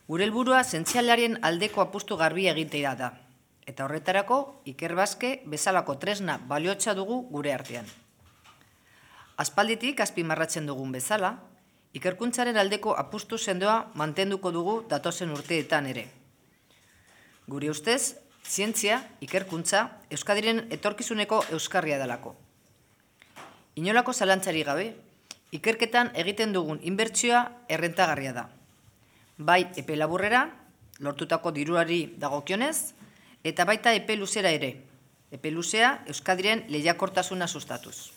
Gure helburua zientzialaren aldeko apustu garbia egitea da, eta horretarako Ikerbasque bezalako tresna baliotsa dugu gure artean. Aspalditik azpimarratzen dugun bezala, ikerkuntzaren aldeko apustu sendoa mantenduko dugu datozen urteetan ere. Gure ustez, zientzia, ikerkuntza, Euskadiren etorkizuneko euskarria delako. Inolako zalantzari gabe, ikerketan egiten dugun inbertsioa errentagarria da. Bai epe laburrera, lortutako diruari dagokionez, eta baita epe luzera ere. Epe luzea Euskadiren lehiakortasuna sustatuz.